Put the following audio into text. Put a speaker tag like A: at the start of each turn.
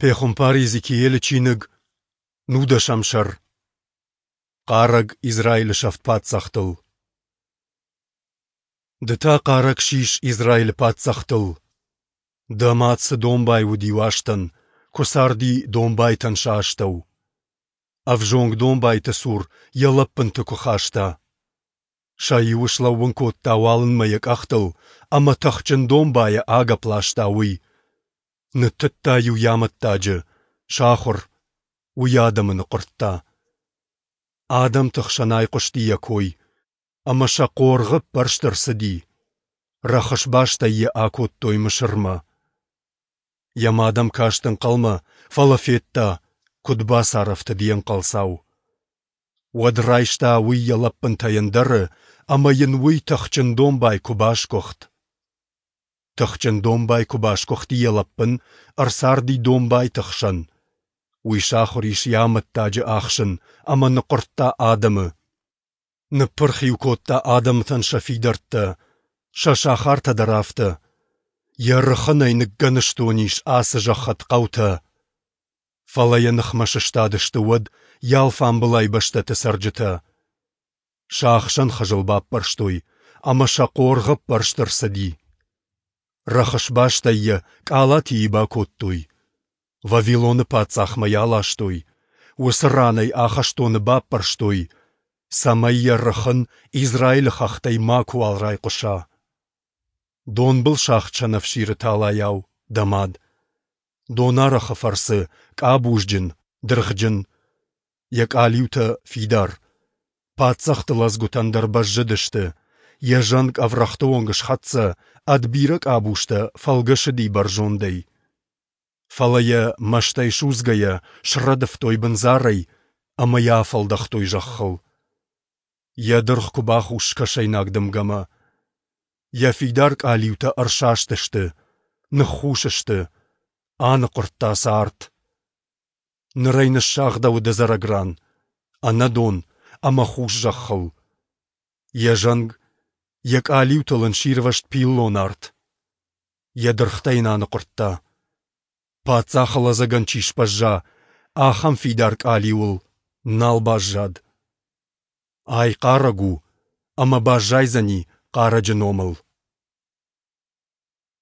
A: Пехуымпар Иезекиилы чиныг, нудӕсӕм сӕр. Хъарӕг Израилы сӕфт паддзӕхтыл. Ды та хъарӕг сис Израилы паддзӕхтыл. Дӕ мад цы домбай уыди уастӕн, куы царди домбайтӕн сӕ астӕу. Ӕвзонг домбайты цур йӕ лӕппынты куы хаста. Сӕ иуы слӕууын кодта уалынмӕ йӕ къӕхтыл, ӕмӕ тыхджын домбайӕ агӕпп ласта уый. Ныттыдта-иу йӕ амӕттаджы, сахуыр, уый адӕмы ныхъуырдта. Адӕмты хсӕн айхъуысти йӕ кой, ӕмӕ сӕ хъоргъы ппӕрст ӕрцыди. Рӕхысбастӕй йӕ акодтой Мысырмӕ. Йӕ мад ӕм каст ӕнхъӕлмӕ, фӕлӕ федта, куыд бацарӕфтыд йе нхъӕлцау. Уӕд райста уый йӕ лӕппынтӕй ӕндӕры, ӕмӕ йын уый тыхджын домбай куы басгуыхт. Тыхджын домбай куы басгуыхти йӕ лӕппын, ӕрцарди домбайты хсӕн. Уый сахуыр ис йӕ амӕттаджы ахсын ӕмӕ ныхъуырдта адӕмы. Ныппырх-иу кодта адӕмтӕн сӕ фидӕрттӕ, сӕ сахартӕ дӕр афтӕ. Йӕ рыхынӕй ныггӕныстон ис ацы зӕхх ӕд хъӕутӕ. Фӕлӕ йӕ ныхмӕ сыстадысты уӕд йӕ алфамбылай бӕстӕты цӕрджытӕ. Сӕ ахсӕн хызыл баппӕрстой, ӕмӕ сӕ хъоргъы ппӕрст ӕрцыди. Рӕхысбастӕй йӕ къалатийы бакодтой. Вавилоны паддзахмӕ йӕ аластой, уыцы ран ӕй ахӕстоны баппӕрстой, цӕмӕй йӕ рыхын Израилы хӕхтӕй макуыуал райхъуыса. Донбыл сагъд сӕнӕфсиры талайау, дӕ мад. Донарӕхы фӕрцы къабузджын, дыргъджын. Йӕ къалиутӕ фидар. Паддзӕхты лӕдзгуытӕн дӕр бӕззыдысты. Йӕ зӕнг ӕврӕгъты онг схӕццӕ, ӕд бирӕ къабузтӕ фӕлгӕсыди бӕрзондӕй. Фӕлӕ йӕ, мӕстӕй судзгӕйӕ, срӕдывтой бындзарӕй ӕмӕ йӕ афӕлдӕхтой зӕххыл. Йӕ дыргъ куы бахус скӕсӕйнаг дымгӕмӕ. Йӕ фидар къалиутӕ ӕрсастысты, ныххус сты, аныхъуырдта сӕ арт. Ныр ӕй ныссагъдӕуыд ӕдзӕрӕг ран, ӕнӕдон ӕмӕ хус зӕххыл. Йӕ зӕнг, йӕ къалиутыл ын сирвӕзт пиллон арт. Йӕ дыргътӕ йын аныхъуырдта. Паддзахы лӕдзӕгӕн чи сбӕзза, ахӕм фидар къалиуыл нал баззад. Ай хъарӕг у, ӕмӕ баззайдзӕни хъарӕджы номыл.